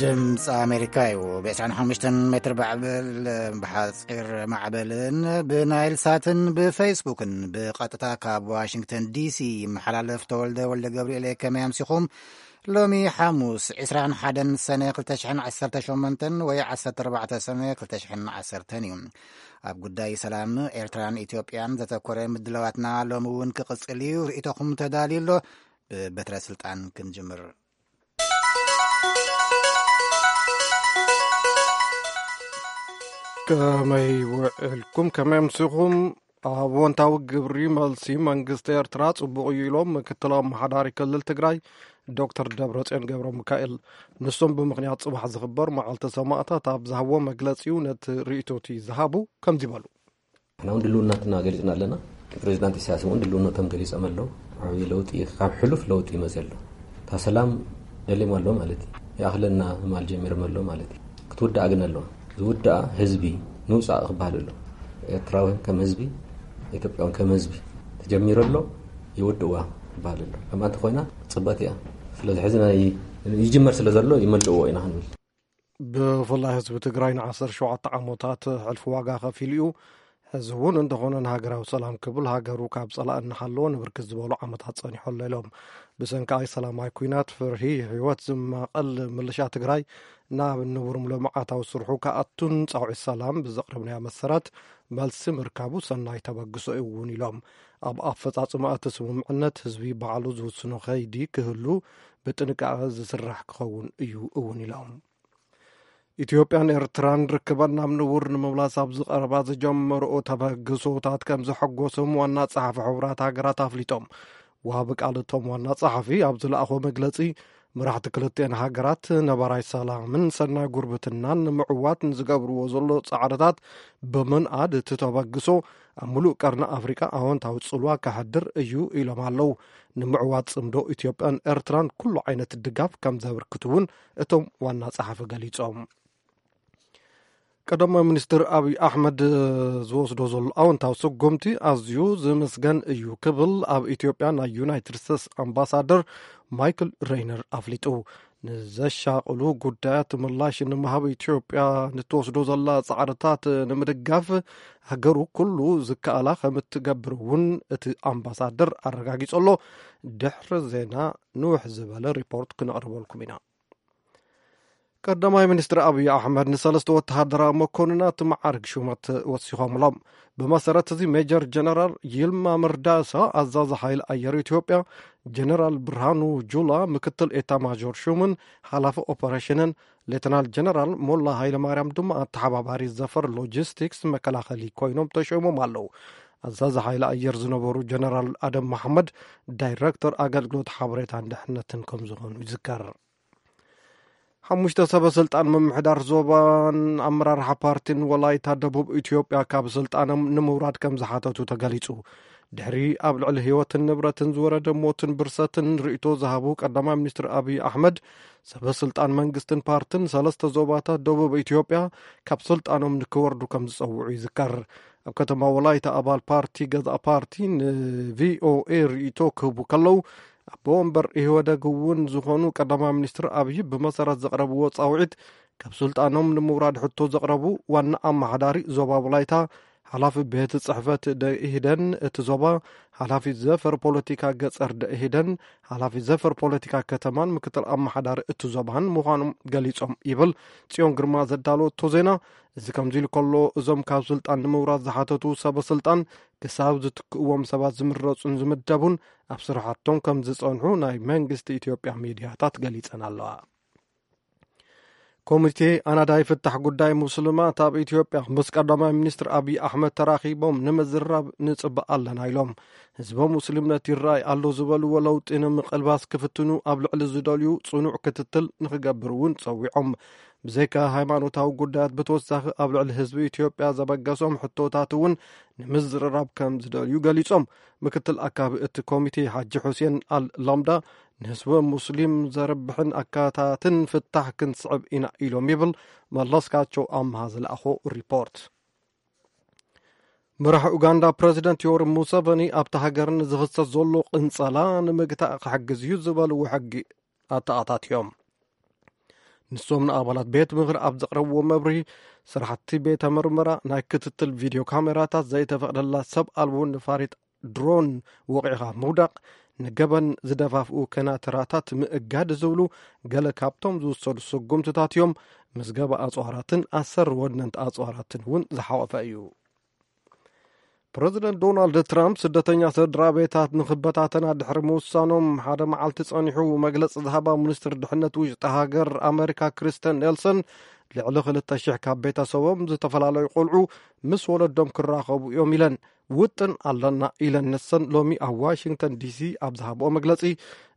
ድምፂ ኣሜሪካ እዩ። ብ25 ሜትር ባዕብል ብሓፂር ማዕበልን ብናይል ሳትን ብፌስቡክን ብቐጥታ ካብ ዋሽንግተን ዲሲ ይመሓላለፍ። ተወልደ ወልደ ገብርኤል፣ ከመይ ኣምሲኹም? ሎሚ ሓሙስ 21 ሰነ 2018 ወይ 14 ሰነ 2010 እዩ። ኣብ ጉዳይ ሰላም ኤርትራን ኢትዮጵያን ዘተኮረ ምድላዋትና ሎሚ እውን ክቕጽል እዩ። ርእይቶኹም ተዳልዩ ኣሎ። ብበትረ ስልጣን ክንጅምር። ከመይ ውዕልኩም? ከመይ ኣምሲኹም? ኣወንታዊ ግብሪ መልሲ መንግስቲ ኤርትራ ጽቡቕ እዩ ኢሎም ምክትል ኣመሓዳሪ ክልል ትግራይ ዶክተር ደብረጽዮን ገብረ ሚካኤል። ንሶም ብምኽንያት ጽባሕ ዝኽበር መዓልቲ ሰማእታት ኣብ ዝሃብዎ መግለጺኡ ነቲ ርእይቶቲ ዝሃቡ ከምዚ በሉ። ንሕና እውን ድልውነትና ገሊጽና ኣለና። ፕሬዚዳንት ኢሳያስ እውን ድልውነቶም ገሊጾም ኣለዉ። ዓብዪ ለውጢ፣ ካብ ሕሉፍ ለውጢ ይመጽእ ኣሎ። እታ ሰላም ደልዮም ኣሎ ማለት እዩ። ይኣኽለና ምባል ጀሚሮም ኣሎ ማለት እዩ። ክትውዳእ ግን ኣለዋ። ዝውዳኣ ህዝቢ ንውፃእ ክበሃል ኣሎ። ኤርትራውያን ከም ህዝቢ፣ ኢትዮጵያውያን ከም ህዝቢ ተጀሚሩ ኣሎ፣ ይውድእዋ ክበሃል ኣሎ። ከምኣ እንተኾይና ፅብቕቲ እያ። ስለዚ ሕዚ ናይ ይጅመር ስለ ዘሎ ይመልእዎ ኢና ክንብል። ብፍላይ ህዝቢ ትግራይ ን17 ዓመታት ሕልፊ ዋጋ ከፊሉ እዩ። ሕዚ እውን እንተኾነ ንሃገራዊ ሰላም ክብል ሃገሩ ካብ ጸላኢ እናሓለወ ንብርክት ዝበሉ ዓመታት ጸኒሑ ኣሎ ኢሎም። ብሰንኪ ኣይሰላማይ ኲናት ፍርሂ ህይወት ዝማቐል ምልሻ ትግራይ ናብ ንቡር ልምዓታዊ ስርሑ ክኣቱን ጻውዒት ሰላም ብዘቕረብናዮ መሰረት መልሲ ምርካቡ ሰናይ ተበግሶ እዩ እውን ኢሎም። ኣብ ኣፈጻጽማ እቲ ስምምዕነት ህዝቢ ባዕሉ ዝውስኖ ከይዲ ክህሉ ብጥንቃቐ ዝስራሕ ክኸውን እዩ እውን ኢሎም። ኢትዮጵያን ኤርትራን ርክበን ናብ ንቡር ንምምላስ ኣብ ዝቐረባ ዝጀመርኦ ተበግሶታት ከም ዘሐጎሶም ዋና ጸሓፊ ሕቡራት ሃገራት ኣፍሊጦም። ወሃቢ ቃል እቶም ዋና ጸሓፊ ኣብ ዝለኣኾ መግለጺ፣ መራሕቲ ክልቲአን ሃገራት ነባራይ ሰላምን ሰናይ ጉርብትናን ንምዕዋት ንዝገብርዎ ዘሎ ጻዕርታት ብምንኣድ፣ እቲ ተበግሶ ኣብ ምሉእ ቀርኒ ኣፍሪቃ ኣወንታዊ ጽልዋ ከሕድር እዩ ኢሎም ኣለዉ። ንምዕዋት ጽምዶ ኢትዮጵያን ኤርትራን ኩሉ ዓይነት ድጋፍ ከም ዘበርክቱ እውን እቶም ዋና ጸሓፊ ገሊጾም። ቀዳማይ ሚኒስትር ኣብይ ኣሕመድ ዝወስዶ ዘሎ ኣወንታዊ ስጉምቲ ኣዝዩ ዝምስገን እዩ ክብል ኣብ ኢትዮጵያ ናይ ዩናይትድ ስቴትስ ኣምባሳደር ማይክል ሬይነር ኣፍሊጡ። ንዘሻቕሉ ጉዳያት ምላሽ ንምሃብ ኢትዮጵያ ንትወስዶ ዘላ ጻዕርታት ንምድጋፍ ሃገሩ ኩሉ ዝከኣላ ከም እትገብር እውን እቲ ኣምባሳደር ኣረጋጊጹ ኣሎ። ድሕሪ ዜና ንውሕ ዝበለ ሪፖርት ክነቕርበልኩም ኢና። ቀዳማይ ሚኒስትር ኣብይ ኣሕመድ ንሰለስተ ወተሃደራዊ መኮንናት መዓርግ ሹመት ወሲኾምሎም። ብመሰረት እዚ ሜጀር ጀነራል ይልማ መርዳሳ ኣዛዚ ሓይሊ ኣየር ኢትዮጵያ፣ ጀነራል ብርሃኑ ጁላ ምክትል ኤታማዦር ሹምን ሓላፊ ኦፐሬሽንን፣ ሌተናል ጀነራል ሞላ ሃይለማርያም ድማ ኣተሓባባሪ ዘፈር ሎጂስቲክስ መከላኸሊ ኮይኖም ተሾይሞም ኣለዉ። ኣዛዚ ሓይሊ ኣየር ዝነበሩ ጀነራል ኣደም መሓመድ ዳይረክተር ኣገልግሎት ሓበሬታን ድሕነትን ከም ዝኾኑ ይዝከር። ሓሙሽተ ሰበ ስልጣን ምምሕዳር ዞባን ኣመራርሓ ፓርቲን ወላይታ ደቡብ ኢትዮጵያ ካብ ስልጣኖም ንምውራድ ከም ዝሓተቱ ተገሊጹ። ድሕሪ ኣብ ልዕሊ ህይወትን ንብረትን ዝወረደ ሞትን ብርሰትን ርእይቶ ዝሃቡ ቀዳማይ ሚኒስትር ኣብይ ኣሕመድ፣ ሰበ ስልጣን መንግስትን ፓርትን ሰለስተ ዞባታት ደቡብ ኢትዮጵያ ካብ ስልጣኖም ንክወርዱ ከም ዝጸውዑ ይዝከር። ኣብ ከተማ ወላይታ ኣባል ፓርቲ ገዛእ ፓርቲ ንቪኦኤ ርእይቶ ክህቡ ከለዉ፣ ኣቦ ወንበር ኢህወደግ እውን ዝኾኑ ቀዳማይ ሚኒስትር ኣብይ ብመሰረት ዘቕረብዎ ጻውዒት ካብ ስልጣኖም ንምውራድ ሕቶ ዘቕረቡ ዋና ኣመሓዳሪ ዞባ ወላይታ፣ ሓላፊ ቤት ጽሕፈት ደኢህደን እቲ ዞባ፣ ሓላፊ ዘፈር ፖለቲካ ገጸር ደኢህደን፣ ሓላፊ ዘፈር ፖለቲካ ከተማን ምክትል ኣመሓዳሪ እቲ ዞባን ምዃኖም ገሊጾም ይብል ጽዮን ግርማ ዘዳለወቶ ዜና። እዚ ከምዚ ኢሉ ከሎ፣ እዞም ካብ ስልጣን ንምውራድ ዝሓተቱ ሰበ ስልጣን ክሳብ ዝትክእዎም ሰባት ዝምረጹን ዝምደቡን ኣብ ስራሓቶም ከም ዝጸንሑ ናይ መንግስቲ ኢትዮጵያ ሚድያታት ገሊጸን ኣለዋ። ኮሚቴ ኣናዳይ ፍታሕ ጉዳይ ሙስልማት ኣብ ኢትዮጵያ ምስ ቀዳማይ ሚኒስትር ኣብይ ኣሕመድ ተራኺቦም ንምዝራብ ንጽበ ኣለና ኢሎም። ህዝበ ሙስሊም ነቲ ይረኣይ ኣሎ ዝበልዎ ለውጢ ንምቕልባስ ክፍትኑ ኣብ ልዕሊ ዝደልዩ ጽኑዕ ክትትል ንክገብር እውን ጸዊዖም። ብዘይካ ሃይማኖታዊ ጉዳያት ብተወሳኺ ኣብ ልዕሊ ህዝቢ ኢትዮጵያ ዘበገሶም ሕቶታት እውን ንምዝርራብ ከም ዝደልዩ ገሊጾም። ምክትል ኣካቢ እቲ ኮሚቴ ሓጂ ሑሴን ኣል ላምዳ ንህዝበ ሙስሊም ዘርብሕን ኣካታትን ፍታሕ ክንስዕብ ኢና ኢሎም ይብል መለስካቸው ኣምሃ ዝለኣኾ ሪፖርት። መራሒ ኡጋንዳ ፕረዚደንት ዮወሪ ሙሰቨኒ ኣብቲ ሃገር ንዝኽሰት ዘሎ ቅንጸላ ንምግታእ ክሕግዝ እዩ ዝበልዎ ሕጊ ኣተኣታትዮም። ንሶም ንኣባላት ቤት ምኽሪ ኣብ ዘቕረብዎ መብርሂ፣ ስራሕቲ ቤተ ምርመራ፣ ናይ ክትትል ቪድዮ ካሜራታት፣ ዘይተፈቕደላ ሰብ ኣልቦ ነፋሪት ድሮን ወቒዕኻ ምውዳቕ፣ ንገበን ዝደፋፍኡ ከናተራታት ምእጋድ ዝብሉ ገለ ካብቶም ዝውሰዱ ስጉምትታት እዮም። ምዝገባ ኣጽዋራትን ኣሰር ወነንቲ ኣጽዋራትን እውን ዝሓቖፈ እዩ። ፕረዚደንት ዶናልድ ትራምፕ ስደተኛ ስድራ ቤታት ንኽበታተና ድሕሪ ምውሳኖም ሓደ መዓልቲ ጸኒሑ፣ መግለጺ ዝሃባ ሚኒስትር ድሕነት ውሽጢ ሃገር ኣመሪካ ክሪስተን ኔልሰን፣ ልዕሊ ክልተ ሽሕ ካብ ቤተሰቦም ዝተፈላለዩ ቆልዑ ምስ ወለዶም ክራኸቡ እዮም ኢለን። ውጥን ኣለና ኢለን ንሰን ሎሚ ኣብ ዋሽንግተን ዲሲ ኣብ ዝሃብኦ መግለጺ።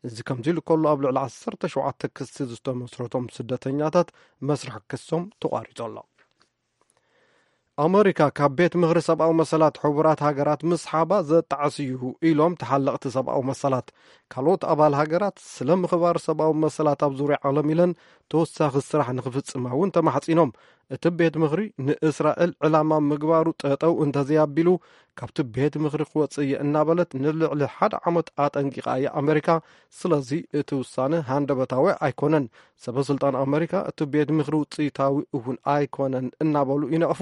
እዚ ከምዚ ኢሉ ከሎ፣ ኣብ ልዕሊ ዓሰርተ ሸውዓተ ክሲ ዝተመስረቶም ስደተኛታት መስርሕ ክሶም ተቋሪጹ ኣሎ። ኣመሪካ ካብ ቤት ምኽሪ ሰብኣዊ መሰላት ሕቡራት ሃገራት ምስሓባ ዘጣዕስ እዩ ኢሎም ተሓለቕቲ ሰብኣዊ መሰላት። ካልኦት ኣባል ሃገራት ስለ ምኽባር ሰብኣዊ መሰላት ኣብ ዙርያ ዓለም ኢለን ተወሳኺ ስራሕ ንኽፍጽማ እውን ተማሕጺኖም። እቲ ቤት ምኽሪ ንእስራኤል ዕላማ ምግባሩ ጠጠው እንተዘይኣቢሉ፣ ካብቲ ቤት ምኽሪ ክወጽእ እየ እናበለት ንልዕሊ ሓደ ዓመት ኣጠንቂቓ እያ ኣመሪካ። ስለዚ እቲ ውሳነ ሃንደበታዊ ኣይኮነን። ሰበ ስልጣን ኣመሪካ እቲ ቤት ምኽሪ ውጽኢታዊ እውን ኣይኮነን እናበሉ ይነቕፉ።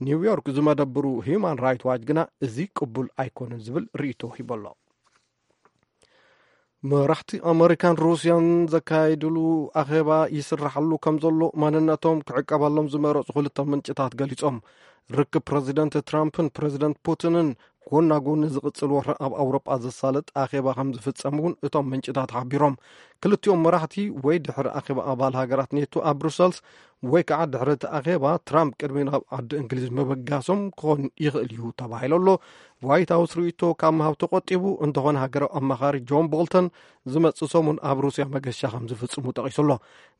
ኒውዮርክ ዝመደብሩ ሂዩማን ራይት ዋች ግና እዚ ቅቡል ኣይኮነን ዝብል ርእይቶ ሂቡ ኣሎ። መራሕቲ ኣመሪካን ሩስያን ዘካየድሉ ኣኼባ ይስራሓሉ ከም ዘሎ ማንነቶም ክዕቀበሎም ዝመረጹ ክልተ ምንጭታት ገሊጾም። ርክብ ፕረዚደንት ትራምፕን ፕረዚደንት ፑቲንን ጎና ጎኒ ዝቕጽል ወረ ኣብ ኣውሮጳ ዘሳልጥ ኣኼባ ከም ዝፍጸም እውን እቶም ምንጭታት ሓቢሮም። ክልቲኦም መራሕቲ ወይ ድሕሪ ኣኼባ ኣባል ሃገራት ኔቶ ኣብ ብሩሰልስ ወይ ከዓ ድሕሪ እቲ ኣኼባ ትራምፕ ቅድሚ ናብ ዓዲ እንግሊዝ ምብጋሶም ክኾን ይኽእል እዩ ተባሂሉ ኣሎ። ዋይት ሃውስ ርእይቶ ካብ ምሃብ ተቆጢቡ፣ እንተኾነ ሃገራዊ ኣማኻሪ ጆን ቦልተን ዝመጽእ ሰሙን ኣብ ሩስያ መገሻ ከም ዝፍጽሙ ጠቒሱ ኣሎ።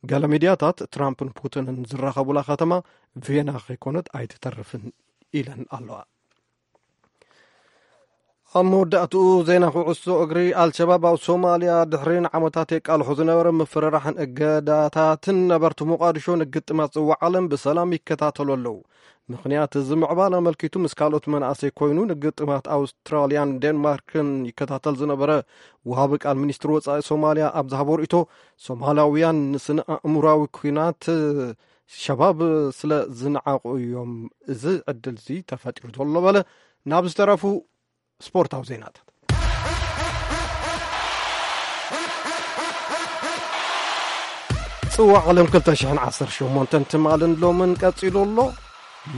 ገለ ሚድያታት ትራምፕን ፑቲንን ዝራኸቡላ ከተማ ቬና ከይኮነት ኣይትተርፍን ኢለን ኣለዋ። ኣብ መወዳእትኡ ዜና ኩዕሶ እግሪ፣ ኣልሸባብ ኣብ ሶማልያ ድሕሪ ንዓመታት የቃልሖ ዝነበረ ምፍርራሕን እገዳታትን ነበርቲ ሞቃዲሾ ንግጥማት ጽዋዕ ዓለም ብሰላም ይከታተሉ ኣለዉ። ምኽንያት እዚ ምዕባለ ኣመልኪቱ ምስ ካልኦት መናእሰይ ኮይኑ ንግጥማት ኣውስትራልያን ዴንማርክን ይከታተል ዝነበረ ወሃቢ ቃል ሚኒስትሪ ወጻኢ ሶማልያ ኣብ ዝሃቦ ርእይቶ፣ ሶማላውያን ንስነ ኣእምራዊ ኲናት ሸባብ ስለ ዝነዓቑ እዮም እዚ ዕድል እዚ ተፈጢሩ ዘሎ በለ። ናብ ዝተረፉ ስፖርታዊ ዜናታት። ጽዋዕ ዓለም ክልተ ሽሕን ዓሰርተ ሸሞንተን ትማልን ሎምን ቀጺሉ ኣሎ።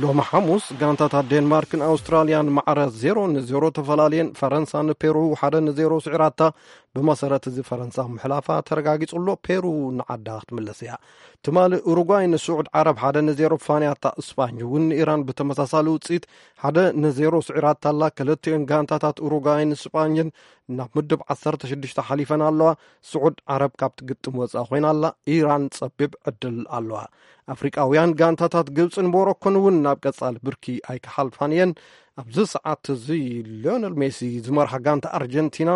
ሎሚ ሓሙስ ጋንታታት ዴንማርክን ኣውስትራልያን ማዕረ ዜሮ ንዜሮ ተፈላለየን። ፈረንሳ ንፔሩ ሓደ ንዜሮ ስዒራታ። ብመሰረት እዚ ፈረንሳ ምሕላፋ ተረጋጊጹ ኣሎ። ፔሩ ንዓዳ ክትምለስ እያ። ትማሊ ኡሩጓይ ንስዑድ ዓረብ ሓደ ንዜሮ ፋንያታ። እስፓኝ እውን ንኢራን ብተመሳሳሊ ውጽኢት ሓደ ንዜሮ ስዒራታ ኣላ። ክልቲኦን ጋንታታት ኡሩጓይን ስጳኝን ናብ ምድብ ዓሰርተ ሽዱሽተ ሓሊፈን ኣለዋ። ስዑድ ዓረብ ካብቲ ግጥም ወጻኢ ኮይና ኣላ። ኢራን ጸቢብ ዕድል ኣለዋ። ኣፍሪቃውያን ጋንታታት ግብጽን ሞሮኮን እውን ናብ ቀጻሊ ብርኪ ኣይክሓልፋን እየን። ኣብዚ ሰዓት እዚ ሊዮነል ሜሲ ዝመርሓ ጋንታ ኣርጀንቲና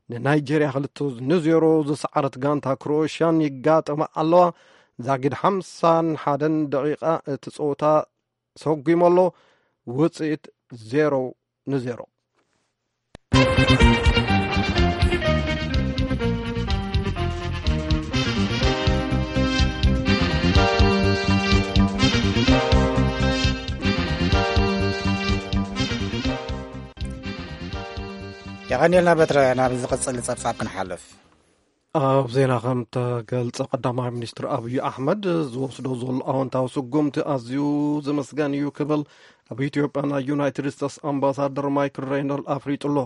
ንናይጀርያ ክልተ ንዜሮ ዝሰዓረት ጋንታ ክሮኤሽያን ይጋጠማ ኣለዋ። ዛጊድ ሓምሳን ሓደን ደቂቓ እቲ ጸወታ ሰጒሙ ኣሎ። ውጽኢት ዜሮ ንዜሮ። የቐንየልና በትረ። ናብ ዝቕጽል ጸብጻብ ክንሓልፍ። ኣብ ዜና ከም ተገልጸ፣ ቀዳማይ ሚኒስትር ኣብይ ኣሕመድ ዝወስዶ ዘሎ ኣወንታዊ ስጉምቲ ኣዝዩ ዝምስገን እዩ ክብል ኣብ ኢትዮጵያ ናይ ዩናይትድ ስቴትስ ኣምባሳደር ማይክል ሬይነር ኣፍሊጡ ኣሎ።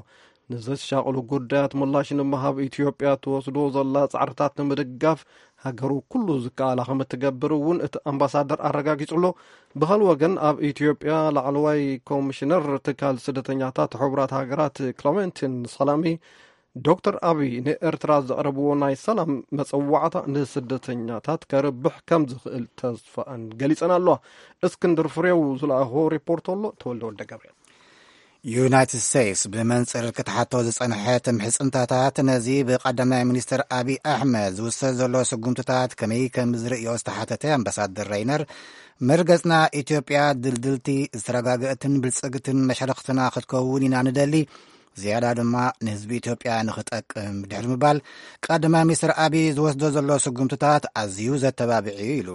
ንዘሻቕሉ ጉዳያት ምላሽ ንምሃብ ኢትዮጵያ ትወስዶ ዘላ ጻዕርታት ንምድጋፍ ሃገሩ ኩሉ ዝከኣላ ከም እትገብር እውን እቲ ኣምባሳደር ኣረጋጊጹ ኣሎ። ብኻልእ ወገን፣ ኣብ ኢትዮጵያ ላዕለዋይ ኮሚሽነር ትካል ስደተኛታት ሕቡራት ሃገራት ክለመንቲን ሰላሚ፣ ዶክተር ኣብይ ንኤርትራ ዘቕረብዎ ናይ ሰላም መጸዋዕታ ንስደተኛታት ከርብሕ ከም ዝኽእል ተስፋኣን ገሊጸን ኣለዋ። እስክንድር ፍሬው ዝለኣኾ ሪፖርት ኣሎ። ተወልደ ወልደ ገብርኤል። ዩናይትድ ስቴትስ ብመንጽር ክትሓቶ ዝጸንሐት ምሕጽንታታት ነዚ ብቀዳማይ ሚኒስትር ኣብይ ኣሕመድ ዝውሰድ ዘሎ ስጉምትታት ከመይ ከም ዝርእዮ ዝተሓተተ ኣምባሳደር ሬይነር፣ መርገጽና ኢትዮጵያ ድልድልቲ፣ ዝተረጋገእትን ብልጽግትን መሻርኽትና ክትከውን ኢና ንደሊ። ዝያዳ ድማ ንህዝቢ ኢትዮጵያ ንኽጠቅም ድሕሪ ምባል፣ ቀዳማይ ሚኒስትር ኣቢይ ዝወስዶ ዘሎ ስጉምትታት ኣዝዩ ዘተባብዕ እዩ ኢሉ።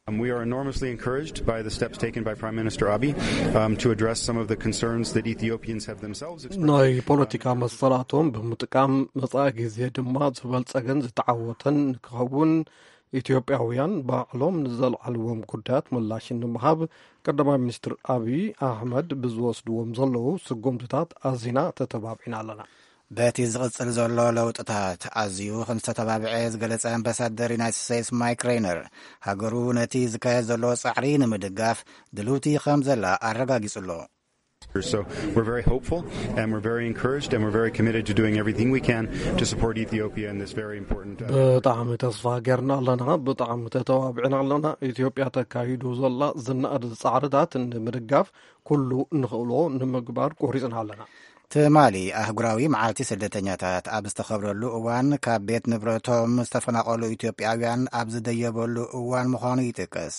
Um, we are enormously encouraged by the steps taken by Prime Minister Abiy, um, to address some of the concerns that Ethiopians have themselves expressed. ናይ ፖለቲካ መሰላቶም ብምጥቃም፣ መጻኢ ግዜ ድማ ዝበልጸገን ዝተዓወተን ንክኸውን፣ ኢትዮጵያውያን ባዕሎም ንዘልዓልዎም ጉዳያት ምላሽ ንምሃብ፣ ቀዳማይ ሚኒስትር ኣቢይ ኣሕመድ ብዝወስድዎም ዘለዉ ስጉምትታት ኣዚና ተተባቢዕና ኣለና። በቲ ዝቕጽል ዘሎ ለውጥታት ኣዝዩ ከም ዝተተባብዐ ዝገለጸ ኣምባሳደር ዩናይትድ ስቴትስ ማይክ ሬይነር፣ ሃገሩ ነቲ ዝካየድ ዘሎ ጻዕሪ ንምድጋፍ ድልውቲ ከም ዘላ ኣረጋጊጹ ኣሎ። So we're very hopeful, and we're very encouraged, and we're very committed to doing everything we can to support Ethiopia in this very important, uh, ብጣዕሚ ተስፋ ጌርና ኣለና። ብጣዕሚ ተተባቢዕና ኣለና። ኢትዮጵያ ተካይዶ ዘላ ዝነኣድ ጻዕርታት ንምድጋፍ ኩሉ ንኽእሎ ንምግባር ቆሪጽና ኣለና። ትማሊ ኣህጉራዊ መዓልቲ ስደተኛታት ኣብ ዝተኸብረሉ እዋን፣ ካብ ቤት ንብረቶም ዝተፈናቐሉ ኢትዮጵያውያን ኣብ ዝደየበሉ እዋን ምዃኑ ይጥቀስ።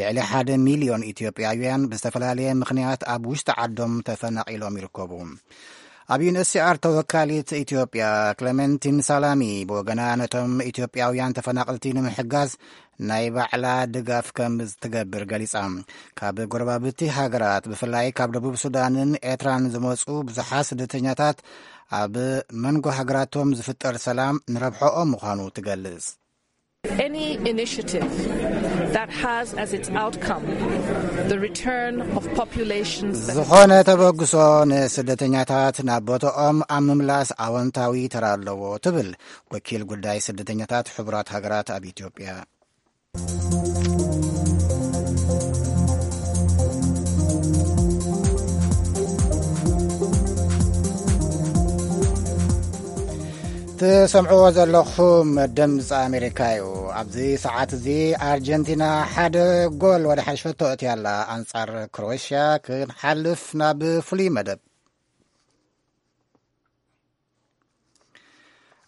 ልዕሊ ሓደ ሚልዮን ኢትዮጵያውያን ብዝተፈላለየ ምኽንያት ኣብ ውሽጢ ዓዶም ተፈናቒሎም ይርከቡ። ኣብ ዩኤንኤችሲኣር ተወካሊት ኢትዮጵያ ክለመንቲን ሳላሚ ብወገና፣ ነቶም ኢትዮጵያውያን ተፈናቐልቲ ንምሕጋዝ ናይ ባዕላ ድጋፍ ከም ትገብር ገሊጻ። ካብ ጎረባብቲ ሃገራት፣ ብፍላይ ካብ ደቡብ ሱዳንን ኤርትራን ዝመጹ ብዙሓት ስደተኛታት፣ ኣብ መንጎ ሃገራቶም ዝፍጠር ሰላም ንረብሖኦም ምዃኑ ትገልጽ። Any initiative that has as its outcome the return of populations that ዝኾነ ተበግሶ ንስደተኛታት ናብ ቦታኦም ኣብ ምምላስ ኣወንታዊ ተራ ኣለዎ፣ ትብል ወኪል ጉዳይ ስደተኛታት ሕቡራት ሃገራት ኣብ ኢትዮጵያ። ትሰምዕዎ ዘለኹም ድምፂ ኣሜሪካ እዩ። ኣብዚ ሰዓት እዚ ኣርጀንቲና ሓደ ጎል ወደ ሓሸቶ እትያላ ኣንጻር ክሮኤሽያ ክንሓልፍ ናብ ፍሉይ መደብ።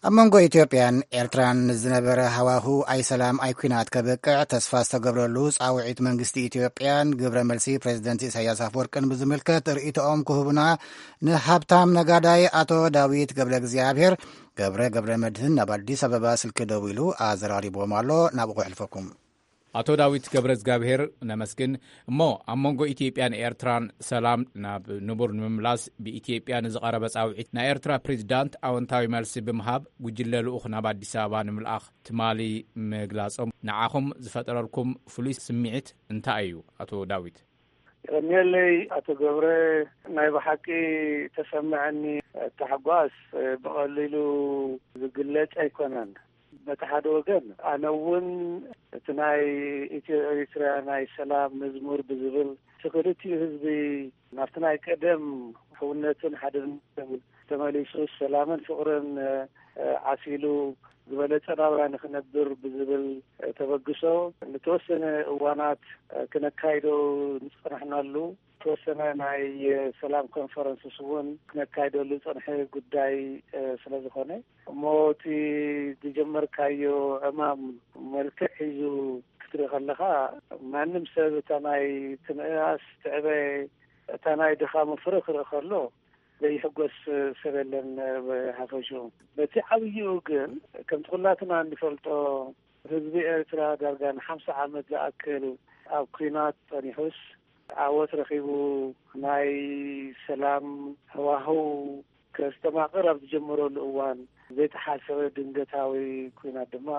ኣብ መንጎ ኢትዮጵያን ኤርትራን ዝነበረ ሃዋሁ ኣይ ሰላም ኣይ ኲናት ከብቅዕ ተስፋ ዝተገብረሉ ጻውዒት መንግስቲ ኢትዮጵያን ግብረ መልሲ ፕሬዝደንት ኢሳያስ ኣፈወርቅን ብዝምልከት ርእይቶኦም ክህቡና ንሃብታም ነጋዳይ ኣቶ ዳዊት ገብረ እግዚኣብሔር ገብረ ገብረ መድህን ናብ ኣዲስ ኣበባ ስልኪ ደዊሉ ኣዘራሪብዎም ኣሎ። ናብኡ ክሕልፈኩም። ኣቶ ዳዊት ገብረ እግዚኣብሔር ነመስግን። እሞ ኣብ መንጎ ኢትዮጵያን ኤርትራን ሰላም ናብ ንቡር ንምምላስ ብኢትዮጵያ ንዝቐረበ ጻውዒት ናይ ኤርትራ ፕሬዚዳንት ኣወንታዊ መልሲ ብምሃብ ጉጅለ ልኡኽ ናብ ኣዲስ ኣበባ ንምልኣኽ ትማሊ ምግላጾም ንዓኹም ዝፈጠረልኩም ፍሉይ ስምዒት እንታይ እዩ ኣቶ ዳዊት? የቐንየለይ ኣቶ ገብረ። ናይ ብሓቂ ተሰምዐኒ ታሕጓስ ብቐሊሉ ዝግለጽ ኣይኮነን። በቲ ሓደ ወገን ኣነ እውን እቲ ናይ ኢትዮ ኤሪትርያ ናይ ሰላም መዝሙር ብዝብል እቲ ክልቲኡ ህዝቢ ናብቲ ናይ ቀደም ሕውነትን ሓድነትን ተመሊሱ ሰላምን ፍቕርን ዓሲሉ ዝበለጸ ናብራ ንኽነብር ብዝብል ተበግሶ ንተወሰነ እዋናት ክነካይዶ ዝጸናሕናሉ ተወሰነ ናይ ሰላም ኮንፈረንስስ እውን ክነካይደሉ ዝጸንሐ ጉዳይ ስለ ዝኾነ እሞ እቲ ዝጀመርካዮ ዕማም መልክዕ ሒዙ ክትርኢ ከለኻ ማንም ሰብ እታ ናይ ትንእኣስ ትዕበ እታ ናይ ድኻሙ ፍረ ክርኢ ከሎ ዘይሕጎስ ሰብ የለን ብሓፈሽኡ። በቲ ዓብይኡ ግን ከምቲ ኩላትና እንፈልጦ ህዝቢ ኤርትራ ዳርጋ ንሓምሳ ዓመት ዝኣክል ኣብ ኲናት ጸኒሑስ ዓወት ረኺቡ ናይ ሰላም ሃዋህው ከስተማቕር ኣብ ዝጀመረሉ እዋን ዘይተሓሰበ ድንገታዊ ኲናት ድማ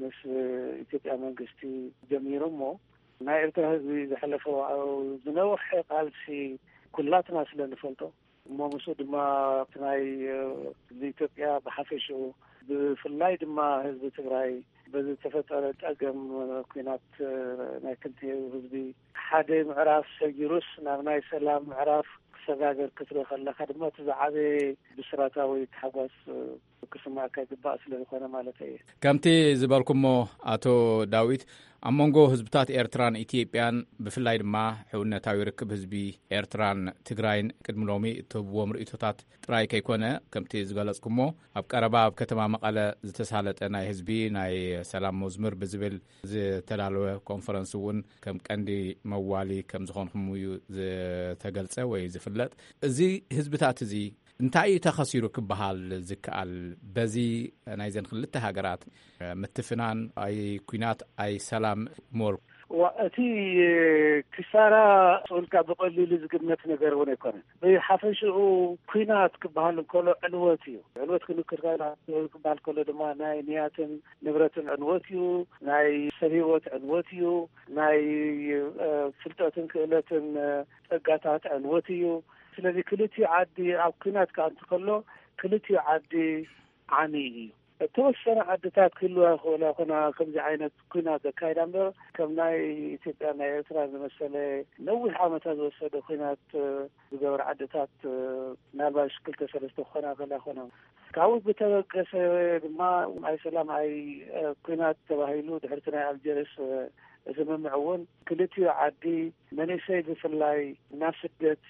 ምስ ኢትዮጵያ መንግስቲ ጀሚሩ እሞ ናይ ኤርትራ ህዝቢ ዘሕለፎ ዝነውሐ ቃልሲ ኩላትና ስለ ንፈልጦ እሞ ምስኡ ድማ እቲ ናይ ህዝቢ ኢትዮጵያ ብሓፈሽኡ ብፍላይ ድማ ህዝቢ ትግራይ በዚ ዝተፈጠረ ጸገም ኲናት ናይ ክልቲኡ ህዝቢ ሓደ ምዕራፍ ሰጊሩስ ናብ ናይ ሰላም ምዕራፍ ክሰጋገር ክትርኢ ከለኻ ድማ እቲ ዝዓበየ ብስራታዊ ታሕጓስ ክስማዕካ ይግባእ ስለ ዝኾነ ማለት እየ። ከምቲ ዝበልኩሞ ኣቶ ዳዊት ኣብ መንጎ ህዝብታት ኤርትራን ኢትዮጵያን ብፍላይ ድማ ሕውነታዊ ርክብ ህዝቢ ኤርትራን ትግራይን ቅድሚ ሎሚ እትህብዎም ርእይቶታት ጥራይ ከይኮነ ከምቲ ዝገለጽኩሞ ኣብ ቀረባ ኣብ ከተማ መቐለ ዝተሳለጠ ናይ ህዝቢ ናይ ሰላም መዝሙር ብዝብል ዝተዳለወ ኮንፈረንስ እውን ከም ቀንዲ መዋሊ ከም ዝኾንኩም እዩ ዝተገልጸ ወይ ዝፍለጥ። እዚ ህዝብታት እዚ እንታይ እዩ ተኸሲሩ ክበሃል ዝከኣል? በዚ ናይዘን ክልተ ሃገራት ምትፍናን፣ ኣይ ኲናት ኣይ ሰላም፣ ሞር ዋ፣ እቲ ክሳራ ስኡልካ ብቐሊሉ ዝግመት ነገር እውን ኣይኮነን። ብሓፈሽኡ ኲናት ክበሃል እንከሎ ዕንወት እዩ። ዕንወት ክንክር ክበሃል ከሎ ድማ ናይ ንያትን ንብረትን ዕንወት እዩ። ናይ ሰብ ህይወት ዕንወት እዩ። ናይ ፍልጠትን ክእለትን ጸጋታት ዕንወት እዩ። ስለዚ ክልቲኡ ዓዲ ኣብ ኲናት ከኣ እንትከሎ ክልቲኡ ዓዲ ዓሚ እዩ። እተወሰነ ዓድታት ክህልዋ ይኽእላ ኮና ከምዚ ዓይነት ኲናት ዘካይዳ እምበር ከም ናይ ኢትዮጵያ ናይ ኤርትራ ዝመሰለ ነዊሕ ዓመታት ዝወሰደ ኲናት ዝገበር ዓድታት ምናልባሽ ክልተ ሰለስተ ክኾና ከላ ኮና። ካብኡ ብተበገሰ ድማ ኣይ ሰላም ኣይ ኲናት ተባሂሉ ድሕርቲ ናይ ኣልጀርስ ስምምዕ እውን ክልቲኡ ዓዲ መንእሰይ ብፍላይ ናብ ስደት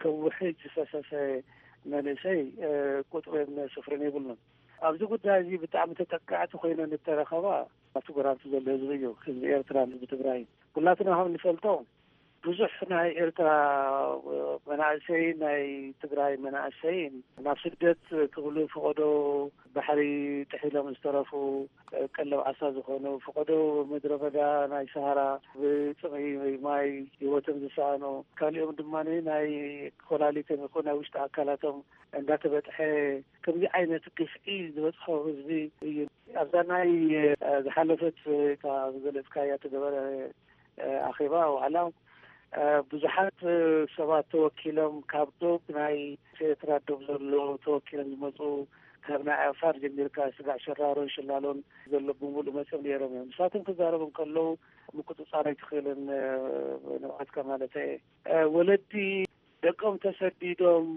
ከውሕጅ ዝፈሰሰ መንእሰይ ቁጥርን ስፍርን የብሉን። ኣብዚ ጉዳይ እዚ ብጣዕሚ ተጠቃዕቲ ኮይነን እተረኸባ ኣብቲ ጎራብቲ ዘሎ ህዝቢ እዩ። ህዝቢ ኤርትራን ህዝቢ ትግራይን ኩላትና ከም ንፈልጦ ብዙሕ ናይ ኤርትራ መናእሰይን ናይ ትግራይ መናእሰይን ናብ ስደት ክብሉ ፈቐዶ ባሕሪ ጥሒሎም ዝተረፉ ቀለብ ዓሳ ዝኾኑ ፈቐዶ ምድረ በዳ ናይ ሰሃራ ብፅምኢ ማይ ህይወቶም ዝሰኣኑ ካሊኦም ድማ ናይ ኮላሊቶም ይኹን ናይ ውሽጢ ኣካላቶም እንዳተበጥሐ ከምዚ ዓይነት ግፍዒ ዝበፅሖ ህዝቢ እዩ። ኣብዛ ናይ ዝሓለፈት እታ ዝገለፅካያ ተገበረ ኣኼባ ዋዕላ ብዙሓት ሰባት ተወኪሎም ካብ ዶብ ናይ ኤርትራ ዶብ ዘሎ ተወኪሎም ዝመፁ ካብ ናይ ዓፋር ጀሚርካ ስጋዕ ሸራሮን ሽላሎን ዘሎ ብምሉእ መፅኦም ነይሮም እዮም። ንሳቶም ክዛረቡ እንከለዉ ምቁፅፃር ኣይትኽእልን ንብዓትካ ማለት እየ። ወለዲ ደቆም ተሰዲዶም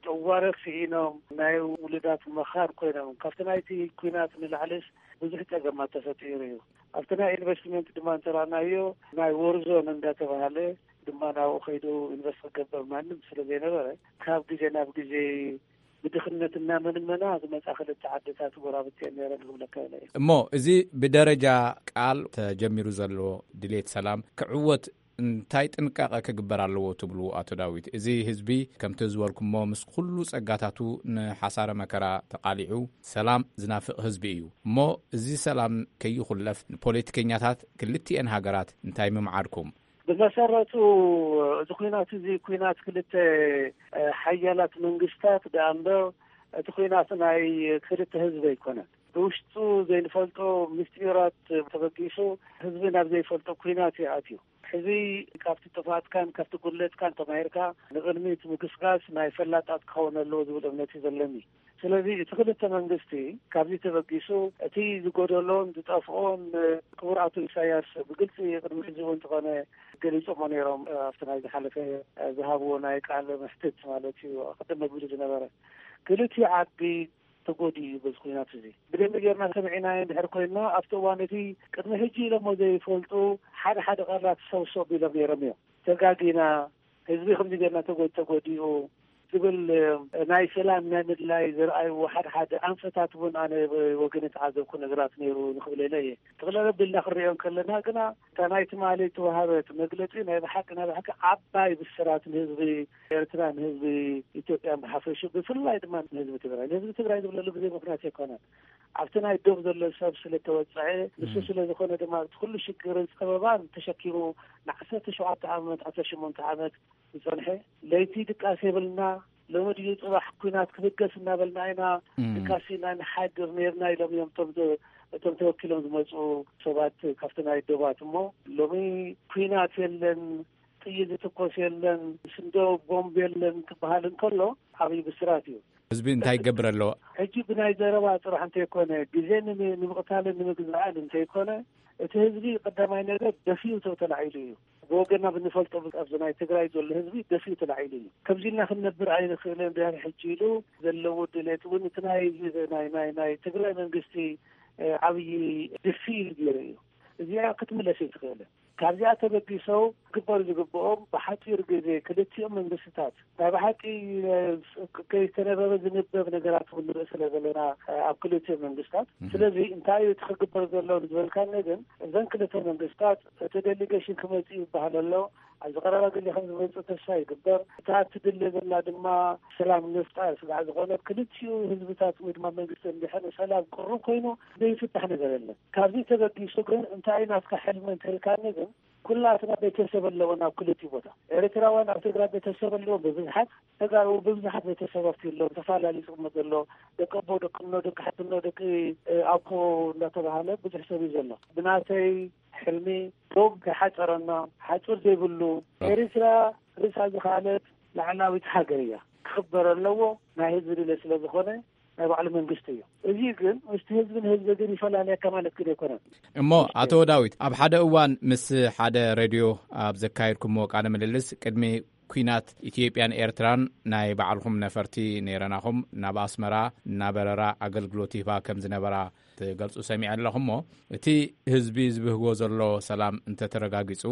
ጨዋርኽ ስኢኖም ናይ ውሉዳት መኻር ኮይኖም ካብቲ ናይቲ ኲናት ንላዕልስ ብዙሕ ጸገማት ተፈጢሩ እዩ። ኣብቲ ናይ ኢንቨስትመንት ድማ እንተራእናዮ ናይ ወርዞን እንዳተባሃለ ድማ ናብኡ ከይዱ ኢንቨስት ክገብር ማንም ስለ ዘይነበረ ካብ ግዜ ናብ ግዜ ብድኽነት እናመንመና ዝመፃ ክልተ ዓድታት ጎራብቲ እየን ነይረን ክብለካ እየ። እሞ እዚ ብደረጃ ቃል ተጀሚሩ ዘሎ ድሌት ሰላም ክዕወት እንታይ ጥንቃቐ ክግበር ኣለዎ ትብሉ ኣቶ ዳዊት? እዚ ህዝቢ ከምቲ ዝበልኩሞ ምስ ኩሉ ጸጋታቱ ንሓሳረ መከራ ተቓሊዑ ሰላም ዝናፍቕ ህዝቢ እዩ። እሞ እዚ ሰላም ከይኹለፍ ንፖለቲከኛታት ክልቲኤን ሃገራት እንታይ ምምዓድኩም? ብመሰረቱ እዚ ኲናት እዚ ኲናት ክልተ ሓያላት መንግስታት ደኣ እምበር እቲ ኲናት ናይ ክልተ ህዝቢ ኣይኮነን። ብውሽጡ ዘይንፈልጦ ምስጢራት ተበጊሱ ህዝቢ ናብ ዘይፈልጦ ኲናት ይኣትዩ። ሕዚ ካብቲ ጥፍኣትካን ካብቲ ጉድለትካን ተማሂርካ ንቕድሚት ምግስጋስ ናይ ፈላጣት ክኸውን ኣለዎ ዝብል እምነት እዩ ዘለኒ። ስለዚ እቲ ክልተ መንግስቲ ካብዚ ተበጊሱ እቲ ዝጎደሎን ዝጠፍኦን ክቡር ኣቶ ኢሳያስ ብግልፂ ቅድሚ ሕዚ እውን እንተኾነ ገሊፆሞ ነይሮም ኣብቲ ናይ ዝሓለፈ ዝሃብዎ ናይ ቃል ምሕትት ማለት እዩ ቅድም መግቢሉ ዝነበረ ክልቲኡ ዓዲ ተጎዲኡ እዩ በዚ ኩናት እዚ። ብደንቢ ጌርና ሰሚዕናዮ እንድሕር ኮይንና ኣብቲ እዋን እቲ ቅድሚ ሕጂ ኢሎሞ ዘይፈልጡ ሓደ ሓደ ቃላት ሰብሰብ ኢሎም ነይሮም እዮም። ተጋጊና፣ ህዝቢ ከምዚ ጌርና ተጎ- ተጎዲኡ ዝብል ናይ ሰላም ናይ ምድላይ ዘርኣይዎ ሓደ ሓደ ኣንፈታት እውን ኣነ ወገነ ተዓዘብኩ ነገራት ነይሩ ንክብል ኢለ እየ። ጠቕለል ኣቢልና ክንሪኦ እንከለና ግና እታ ናይ ትማሊ ዝተዋሃበት መግለፂ ናይ ብሓቂ ናይ ብሓቂ ዓባይ ብስራት ንህዝቢ ኤርትራ ንህዝቢ ኢትዮጵያ ብሓፈሹ ብፍላይ ድማ ንህዝቢ ትግራይ ንህዝቢ ትግራይ ዝብለሉ ግዜ ምክንያት ኣይኮነን። ኣብቲ ናይ ዶብ ዘሎ ሰብ ስለተወፀዐ ንሱ ስለዝኾነ ድማ እቲ ኩሉ ሽግርን ፀበባን ተሸኪሙ ንዓሰርተ ሸውዓተ ዓመት ዓሰርተ ሸሞንተ ዓመት ዝፀንሐ ለይቲ ድቃስ የብልና ሎሚ ድዩ ፅባሕ ኩናት ክብገስ እናበልና ኢና ድቃስ ኢና ንሓድር ነርና ኢሎም እዮም እቶም እቶም ተወኪሎም ዝመፁ ሰባት ካብቲ ናይ ዶባት እሞ ሎሚ ኩናት የለን ጥይት ዝትኮስ የለን ስንዶ ቦምብ የለን ክበሃል እንከሎ ዓብዪ ብስራት እዩ። ህዝቢ እንታይ ይገብር ኣለዎ? ሕጂ ብናይ ዘረባ ጥራሕ እንተይኮነ ግዜ ንምቕታልን ንምግዛእን እንተይኮነ እቲ ህዝቢ ቀዳማይ ነገር ደፊኡ ተላዒሉ እዩ። ብወገና ብንፈልጦ ኣብዚ ናይ ትግራይ ዘሎ ህዝቢ ደፊኡ ተላዒሉ እዩ። ከምዚ ኢልና ክንነብር ኣይንኽእልን ድሕሪ ሕጂ ኢሉ ዘለዎ ድሌት እውን እቲ ናይ ናይ ናይ ናይ ትግራይ መንግስቲ ዓብዪ ድፊ ኢሉ ገይሩ እዩ። እዚኣ ክትምለስ ኣይትኽእልን። ካብዚኣ ተበጊሶ ክግበሩ ዝግብኦም ብሓፂር ግዜ ክልቲኦም መንግስትታት ናይ ብሓቂ ከይተነበበ ዝንበብ ነገራት እውን ንርኢ ስለ ዘለና ኣብ ክልቲኦም መንግስታት ስለዚ እንታይ እዩ እቲ ክግበር ዘሎ ዝበልካኒ ግን እዘን ክልተ መንግስታት እቲ ዴሊጌሽን ክመፅእ ይበሃል ኣሎ ኣብዚ ቀረባ ግዜ ከም ዝመጽእ ተስፋ ይግበር። እታ ትድለ ዘላ ድማ ሰላም ንምፍጣር ስጋዕ ዝኾነ ክልቲኡ ህዝብታት ወይ ድማ መንግስቲ እንድሕር ሰላም ቅሩብ ኮይኑ ዘይፍታሕ ነገር የለን። ካብዚ ተበጊሱ ግን እንታይ ናትካ ሕልሚ እንተልካኒ ግን ኩላትና ቤተሰብ ኣለዎ ናብ ክልቲኡ ቦታ። ኤርትራውያን ኣብ ትግራይ ቤተሰብ ኣለዎ ብብዝሓት፣ ተጋሩ ብብዝሓት ቤተሰብ ኣብቲ ኣለዎ። ተፈላለዩ ዝቕመጥ ዘሎ ደቂ ኣቦ፣ ደቂ እኖ፣ ደቂ ሓትኖ፣ ደቂ ኣኮ እንዳተባሃለ ብዙሕ ሰብ እዩ ዘሎ። ብናተይ ሕልሚ ዶብ ከይሓጸረና ሓጹር ዘይብሉ ኤርትራ ርእሳ ዝኸኣለት ላዕላዊት ሃገር እያ። ክኽበር ኣለዎ። ናይ ህዝቢ ድሌት ስለ ዝኾነ ናይ ባዕሉ መንግስቲ እዩ። እዚ ግን ምስቲ ህዝብን ህዝቢ ግን ይፈላለየካ ማለት ግን ኣይኮነን። እሞ ኣቶ ዳዊት፣ ኣብ ሓደ እዋን ምስ ሓደ ሬድዮ ኣብ ዘካየድኩሞ ቃለ ምልልስ ቅድሚ ኲናት ኢትዮጵያን ኤርትራን ናይ ባዕልኹም ነፈርቲ ነይረናኹም ናብ ኣስመራ እናበረራ ኣገልግሎት ይህባ ከም ዝነበራ ትገልጹ ሰሚዐ ኣለኹ። እሞ እቲ ህዝቢ ዝብህጎ ዘሎ ሰላም እንተተረጋጊጹ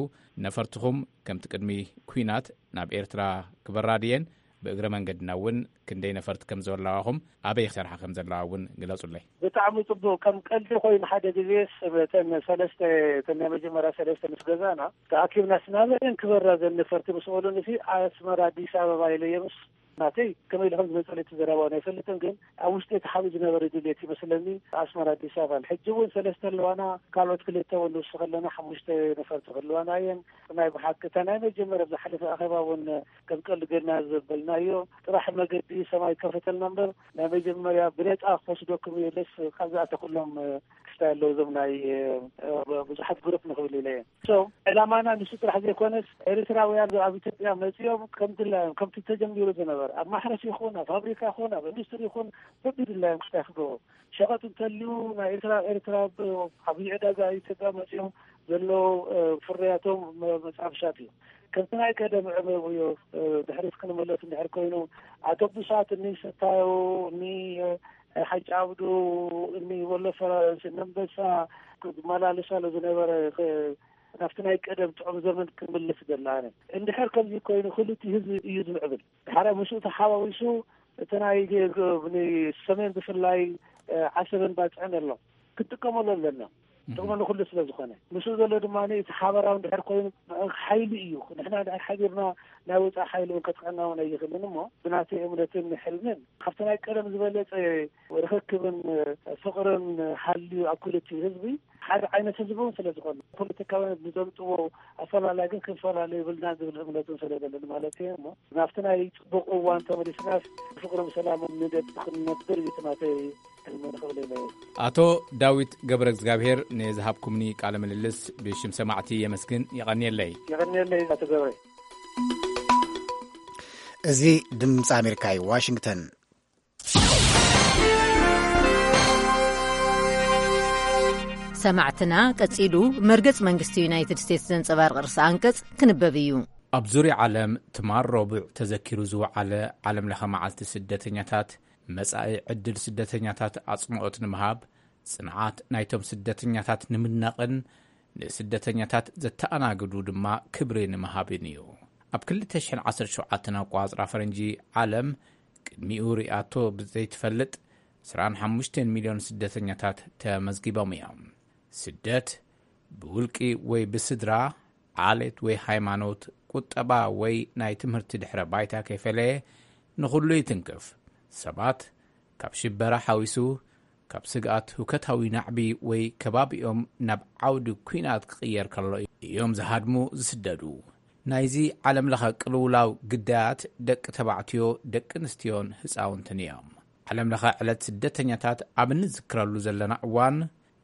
ነፈርትኹም ከምቲ ቅድሚ ኲናት ናብ ኤርትራ ክበራ ድየን? ብእግረ መንገድና እውን ክንደይ ነፈርቲ ከም ዘለዋኹም ኣበይ ክሰርሓ ከም ዘለዋ እውን ግለጹለይ። ብጣዕሚ ጽቡቕ። ከም ቀልዲ ኮይኑ ሓደ ግዜስ እተን ሰለስተ፣ እተን ናይ መጀመርያ ሰለስተ ምስ ገዛና ተኣኪብና ስናበለን ክበራ ዘን ነፈርቲ ምስ በሉኒ ሲ ኣስመራ ኣዲስ ኣበባ ኢለዮምስ ናተይ ከመይ ኢሉ ከም ዝመጸለይ እቲ ዘረባ እውን ኣይፈልጥን፣ ግን ኣብ ውሽጢ እቲ ሓቢእ ዝነበረ ድሌት ይመስለኒ ኣስመራ ኣዲስ ኣበባ። ሕጂ እውን ሰለስተ ኣለዋና፣ ካልኦት ክልተ እውን ንውስኽ ኣለና፣ ሓሙሽተ ነፈርቲ ክህልዋና እየን። ናይ ብሓቂ እታ ናይ መጀመርያ ዝሓለፈ ኣኼባ እውን ከም ቀልዲ ጌርና ዘበልናዮ ጥራሕ መገዲ ሰማይ ከፈተልና እምበር ናይ መጀመርያ ብነጻ ክወስደኩም እየ ኢለስ ካብዚኣተ ኩሎም ክስታይ ኣለዉ እዞም ናይ ብዙሓት ግሩፕ ንኽብል ኢለ እየ። So ዕላማና ንሱ ጥራሕ ዘይኮነስ ኤርትራውያን ኣብ ኢትዮጵያ መጺኦም ከም ድላዮም ከምቲ ተጀሚሩ ዝነበረ ኣብ ማሕረስ ይኹን ኣብ ፋብሪካ ይኹን ኣብ ኢንዱስትሪ ይኹን በብድላዮም ክስታይ ክገብሩ ሸቐጥ እንተልዩ ናይ ኤርትራ ኤርትራ ብ- ዓብዪ ዕዳጋ ኢትዮጵያ መጺኦም ዘለዉ እ፣ ፍርያቶም መ- መጻብ ሻት እዩ። ከምቲ ናይ ቀደም ዕበብዮ ድሕሪት ክንመለስ እንድሕር ኮይኑ ኣቶቡሳት እኒ ስታዮ እኒ ሓጫብዱ እኒ ወሎ ፈረንስ እኒ ኣንበሳ ዝመላለሳሉ ዝነበረ ናብቲ ናይ ቀደም ጥዑም ዘመን ክምልስ ደላነ። እንድሕር ከምዚ ኮይኑ ክልቲ ህዝቢ እዩ ዝምዕብል። ድሓረ ምስኡ ተሓዋዊሱ እቲ ናይ ሰሜን ብፍላይ ዓሰብን ባፅዕን ኣሎ ክትጥቀመሉ ኣለና። ጥቕሚ ንኩሉ ስለ ዝኾነ ምስኡ ዘሎ ድማ እቲ ሓበራዊ እንድሕር ኮይኑ ሓይሊ እዩ። ንሕና እንድሕር ሓቢርና ናይ ወፃኢ ሓይሊ እውን ከጥቅዐና እውን ኣይኽእልን እሞ ብናተይ እምነትን ሕልምን ካብቲ ናይ ቀደም ዝበለፀ ርኽክብን ፍቕርን ሃልዩ ኣብ ክልቲኡ ህዝቢ ሓደ ዓይነት ህዝቢ እውን ስለ ዝኾነ ፖለቲካውያን ብዘምፅዎ ኣፈላላይ ግን ክንፈላለ ይብልና ዝብል እምነትን ስለ ዘለኒ ማለት እየ እሞ ናብቲ ናይ ፅቡቕ እዋን ተመሊስናስ ብፍቕርን ሰላምን ንደቂ ክንነብር እዩ እቲ ናተይ ሕልሚ ንኽብል ኢለ እየ። ኣቶ ዳዊት ገብረ እግዚኣብሔር ንዝሃብኩምኒ ቃለ ምልልስ ብሽም ሰማዕቲ የመስግን። የቐንየለይ። የቐንየለይ ኣቶ ገብረ። እዚ ድምፂ ኣሜሪካ እዩ ዋሽንግተን። ሰማዕትና ቀጺሉ መርገጽ መንግስቲ ዩናይትድ ስቴትስ ዘንጸባርቕ ርእሰ ኣንቀጽ ክንበብ እዩ። ኣብ ዙርያ ዓለም ትማል ረቡዕ ተዘኪሩ ዝወዓለ ዓለም ለኸ መዓልቲ ስደተኛታት መጻኢ ዕድል ስደተኛታት ኣጽንኦት ንምሃብ ጽንዓት ናይቶም ስደተኛታት ንምድናቕን ንስደተኛታት ዘተኣናግዱ ድማ ክብሪ ንምሃብን እዩ። ኣብ ክልተ ሽሕን ዓሰርተ ሸውዓተን ኣቋጽራ ፈረንጂ ዓለም ቅድሚኡ ሪኣቶ ብዘይትፈልጥ ዕስራን ሓሙሽተን ሚልዮን ስደተኛታት ተመዝጊቦም እዮም። ስደት ብውልቂ ወይ ብስድራ፣ ዓሌት ወይ ሃይማኖት፣ ቁጠባ ወይ ናይ ትምህርቲ ድሕረ ባይታ ከይፈለየ ንኹሉ ይትንክፍ። ሰባት ካብ ሽበራ ሓዊሱ ካብ ስግኣት ህውከታዊ ናዕቢ ወይ ከባቢኦም ናብ ዓውዲ ኲናት ክቕየር ከሎ እዮም ዝሃድሙ ዝስደዱ። ናይዚ ዓለም ለኸ ቅልውላው ግዳያት ደቂ ተባዕትዮ፣ ደቂ ኣንስትዮን ህፃውንትን እዮም። ዓለም ለኸ ዕለት ስደተኛታት ኣብ እንዝክረሉ ዘለና እዋን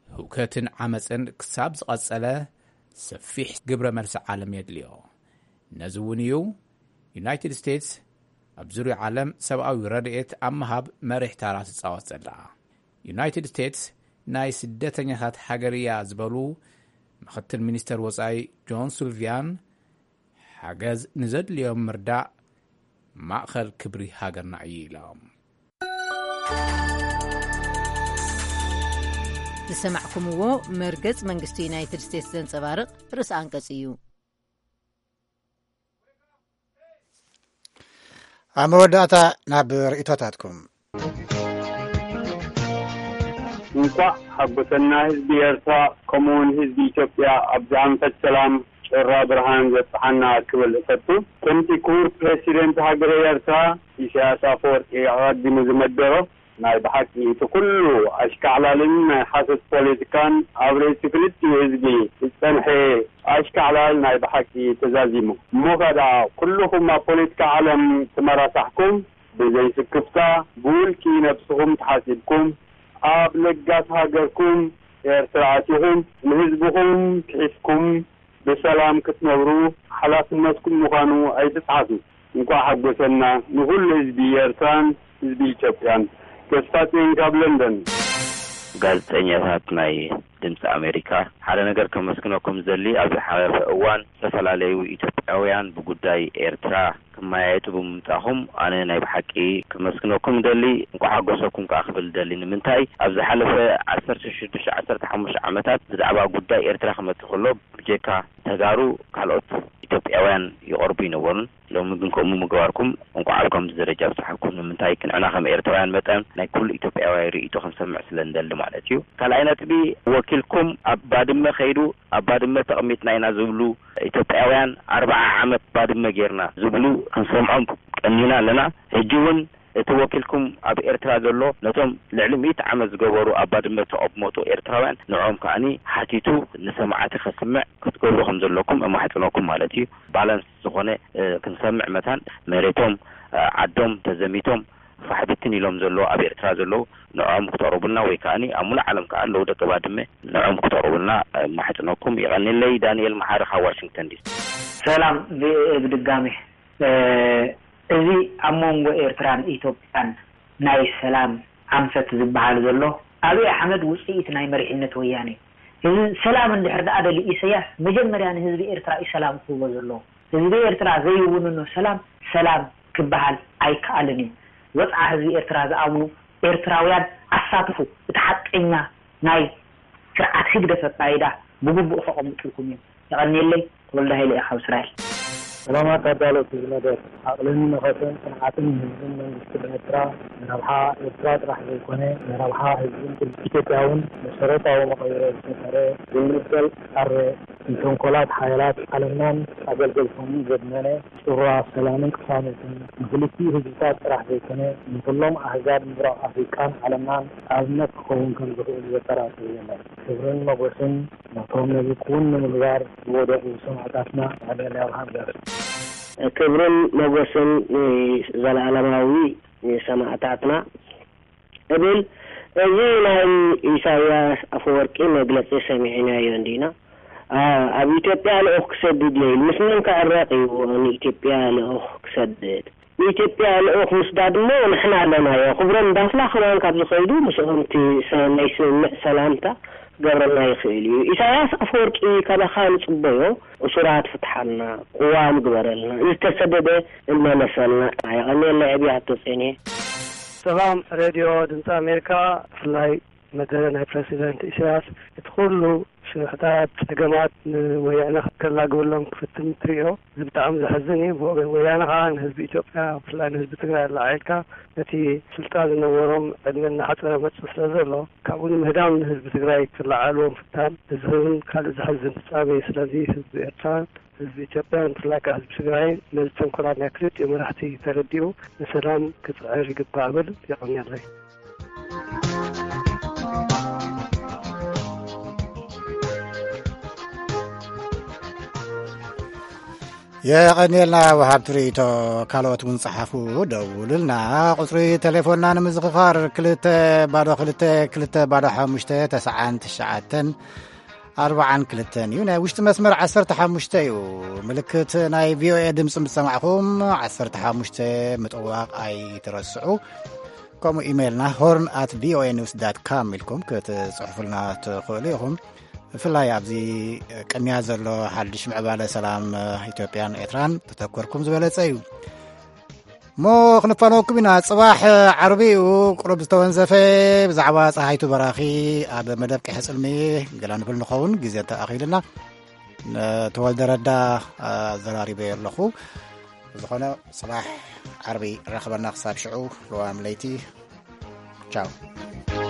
ህውከትን ዓመፅን ክሳብ ዝቐፀለ ሰፊሕ ግብረ መልሲ ዓለም የድልዮ። ነዚ እውን እዩ ዩናይትድ ስቴትስ ኣብ ዙርያ ዓለም ሰብኣዊ ረድኤት ኣብ ምሃብ መሪሕ ታራ ትፃወት ዘላ። ዩናይትድ ስቴትስ ናይ ስደተኛታት ሃገር እያ ዝበሉ ምኽትል ሚኒስተር ወፃኢ ጆን ሱልቪያን ሓገዝ ንዘድልዮም ምርዳእ ማእኸል ክብሪ ሃገርና እዩ ኢሎም። ዝሰማዕኩምዎ መርገጽ መንግስቲ ዩናይትድ ስቴትስ ዘንጸባርቕ ርእሰ ኣንቀጽ እዩ። ኣብ መወዳእታ ናብ ርእይቶታትኩም። እንኳዕ ሓጎሰና ህዝቢ ኤርትራ ከምኡውን ህዝቢ ኢትዮጵያ ኣብዚ ኣንፈት ሰላም ጭራ ብርሃን ዘብጽሓና ክብል እፈቱ። ከምቲ ክቡር ፕሬሲደንት ሃገረ ኤርትራ ኢሳያስ ኣፈወርቂ ኣቐዲሙ ዝመደሮ፣ ናይ ብሓቂ እቲ ኩሉ ኣሽካዕላልን ናይ ሓሶት ፖለቲካን ኣብ ርእሲ ክልቲኡ ህዝቢ ዝጸንሐ ኣሽካዕላል ናይ ብሓቂ ተዛዚሙ። እሞ ከኣ ኩልኹም ኣብ ፖለቲካ ዓለም ተመራሳሕኩም ብዘይ ስክፍታ ብውልቂ ነብስኹም ተሓሲብኩም ኣብ ለጋስ ሃገርኩም ኤርትራ ኣቲኹም ንህዝብኹም ክሒስኩም ብሰላም ክትነብሩ ሓላፍነትኩም ምዃኑ ኣይትጽሓፉ። እንኳዕ ሓጎሰና ንኹሉ ህዝቢ ኤርትራን ህዝቢ ኢትዮጵያን። ተስፋጽዮን ካብ ለንደን። ጋዜጠኛታት ናይ ድምፂ ኣሜሪካ፣ ሓደ ነገር ከመስግነኩም ዝደሊ፣ ኣብ ዝሓለፈ እዋን ዝተፈላለዩ ኢትዮጵያውያን ብጉዳይ ኤርትራ ክመያየጡ ብምምጻኹም ኣነ ናይ ብሓቂ ከመስግነኩም ደሊ፣ እንኳዕ ሓጎሰኩም ከኣ ክብል ደሊ። ንምንታይ ኣብ ዝሓለፈ ዓሰርተ ሽዱሽተ ዓሰርተ ሓሙሽተ ዓመታት ብዛዕባ ጉዳይ ኤርትራ ክመጽእ ከሎ ብጀካ ተጋሩ ካልኦት ኢትዮጵያውያን ይቐርቡ ይነበሩን። ሎሚ ግን ከምኡ ምግባርኩም እንኳዕ ኣብ ከምዚ ደረጃ ኣብጽሓኩም። ንምንታይ ንሕና ከም ኤርትራውያን መጠን ናይ ኩሉ ኢትዮጵያውያን ርእይቶ ክንሰምዕ ስለ እንደሊ ማለት እዩ። ካልኣይ ነጥቢ፣ ወኪልኩም ኣብ ባድመ ከይዱ ኣብ ባድመ ተቐሚጥና ኢና ዝብሉ ኢትዮጵያውያን ኣርብዓ ዓመት ባድመ ጌርና ዝብሉ ክንሰምዖም ቀኒና ኣለና። ሕጂ እውን እቲ ወኪልኩም ኣብ ኤርትራ ዘሎ ነቶም ልዕሊ ሚእቲ ዓመት ዝገበሩ ኣብ ባድመ ተቐመጡ ኤርትራውያን ንዕኦም ከኣኒ ሓቲቱ ንሰማዕቲ ከስምዕ ክትገብሩ ከም ዘለኩም እማሕጽነኩም ማለት እዩ። ባላንስ ዝኾነ ክንሰምዕ መታን መሬቶም ዓዶም ተዘሚቶም ፋሕብትን ኢሎም ዘለዉ ኣብ ኤርትራ ዘለዉ ንዕኦም ክተቕርቡልና ወይ ከኣኒ ኣብ ሙሉእ ዓለም ከኣ ኣለዉ ደቂ ባድመ ንዕኦም ክተቕርቡልና ማሕጽነኩም። ይቐኒለይ። ዳንኤል መሓሪ ካብ ዋሽንግተን ዲሲ። ሰላም ቪኦኤ ብድጋሜ። እዚ ኣብ መንጎ ኤርትራን ኢትዮጵያን ናይ ሰላም ኣንፈት ዝበሃል ዘሎ ኣብይ ኣሕመድ ውፅኢት ናይ መሪሕነት ወያነ እዩ። እዚ ሰላም እንድሕር ደኣ ደልዩ ኢሰያስ መጀመርያ ንህዝቢ ኤርትራ እዩ ሰላም ክህቦ ዘለዎ። ህዝቢ ኤርትራ ዘይውንኖ ሰላም ሰላም ክበሃል ኣይከኣልን እዩ። ወፅዓ ህዝቢ ኤርትራ ዝኣምኑ ኤርትራውያን ኣሳትፉ። እቲ ሓቀኛ ናይ ስርዓት ህግደፍ ኣካይዳ ብግቡእ ከቐምጥልኩም እዮም። የቐንየለይ። ተወልደ ሃይለ እየ ካብ እስራኤል። ሰላማት ኣዳለውቲ እዚ መደብ፣ ዓቕልን መኸተን ጽንዓትን ንህዝብን መንግስትን ኤርትራ፣ ንረብሓ ኤርትራ ጥራሕ ዘይኮነ፣ ንረብሓ ህዝብን ክልል ኢትዮጵያ እውን መሰረታዊ መቐይሮ ዝፈጠረ፣ ዘይንበል ጣረ ንተንኮላት ሓያላት ዓለምናን ኣገልገልቶምን ዘድመነ፣ ጽሩራ ሰላምን ቅሳነትን ንክልቲኡ ህዝብታት ጥራሕ ዘይኮነ፣ ንኹሎም ኣህዛብ ምብራቕ ኣፍሪቃን ዓለምናን ኣብነት ክኸውን ከም ዝኽእል ዘጠራጥር የለን። ክብርን ሞገስን ነቶም ነዚ ክውን ንምግባር ዝወደቑ ሰማዕታትና። ኣደዳ ኣብ ሃገር። ክብርን ሞገስን ንዘለኣለማዊ ሰማዕታትና እብል። እዚ ናይ ኢሳያስ ኣፈወርቂ መግለጺ ሰሚዕናዮ እንዲና። ኣ-፣ ኣብ ኢትዮጵያ ልኡኽ ክሰድድ እየ ኢሉ። ምስ መን ክዕረቕ እዩ ንኢትዮጵያ ልኡኽ ክሰድድ? ንኢትዮጵያ ልኡኽ ምስዳድ እሞ ንሕና ኣለናዮ። ክብሮም ዳፍላ ከማን ካብ ዝኸይዱ ምስኦም እቲ ሰ-፣ ናይ ስምምዕ ሰላምታ ክገብረልና ይኽእል እዩ። ኢሳያስ ኣፈወርቂ ካባኻ ንጽበዮ፣ እሱራት ፍትሓልና፣ ቅዋም ግበረልና፣ ዝተሰደደ እመለሰልና። የቐንየለይ። ዕብይ ሃብተጼንየ። ሰላም ሬድዮ ድምፂ ኣሜሪካ፣ ብፍላይ መደረ ናይ ፕረሲደንት ኢሳያስ እቲ ኩሉ ሽርሕታት፣ ጸገማት ንወያነ ከላግበሎም ክፍትን ትሪኦ። እዚ ብጣዕሚ ዘሕዝን እዩ። ብወገን ወያነ ከኣ ንህዝቢ ኢትዮጵያ፣ ብፍላይ ንህዝቢ ትግራይ ኣላዒልካ ነቲ ስልጣን ዝነበሮም ዕድመ እናሓጸረ መጽእ ስለ ዘሎ፣ ካብኡ ንምህዳም ንህዝቢ ትግራይ ክለዓልዎ ምፍታን፣ እዚ እውን ካልእ ዘሕዝን ፍጻሜ እዩ። ስለዚ ህዝቢ ኤርትራን ህዝቢ ኢትዮጵያን፣ ብፍላይ ከኣ ህዝቢ ትግራይን ነዚ ተንኮላት ናይ ክልቲኡ መራሕቲ ተረዲኡ ንሰላም ክጽዕር ይግባእ እብል። የቐንየለይ። የቐንየልና ወሃብቲ ርእይቶ። ካልኦት እውን ጸሓፉ፣ ደውሉልና። ቁጽሪ ቴሌፎንና ንምዝኽኻር ክልተ ባዶ ክልተ ክልተ ባዶ ሓሙሽተ ተስዓን ትሽዓተን ኣርብዓን ክልተን እዩ። ናይ ውሽጢ መስመር ዓሰርተ ሓሙሽተ እዩ። ምልክት ናይ ቪኦኤ ድምፂ ምስ ሰማዕኹም ዓሰርተ ሓሙሽተ ምጥዋቕ ኣይትረስዑ። ከምኡ ኢሜይልና ሆርን ኣት ቪኦኤ ኒውስ ዳት ካም ኢልኩም ክትጽሕፉልና ትኽእሉ ኢኹም። ብፍላይ ኣብዚ ቅንያ ዘሎ ሓድሽ ምዕባለ ሰላም ኢትዮጵያን ኤርትራን ተተኮርኩም ዝበለጸ እዩ። እሞ ክንፋነወኩም ኢና። ጽባሕ ዓርቢ እዩ፣ ቁሩብ ዝተወንዘፈ ብዛዕባ ጸሃይቱ በራኺ ኣብ መደብ ቀይሕ ጽልሚ ገላ ንብል ንኸውን፣ ግዜ እንተኣኺልና። ንተወልደ ረዳ ኣዘራሪበዮ ኣለኹ። ብዝኾነ፣ ጽባሕ ዓርቢ ራኸበና። ክሳብ ሽዑ፣ ለዋም ለይቲ። ቻው።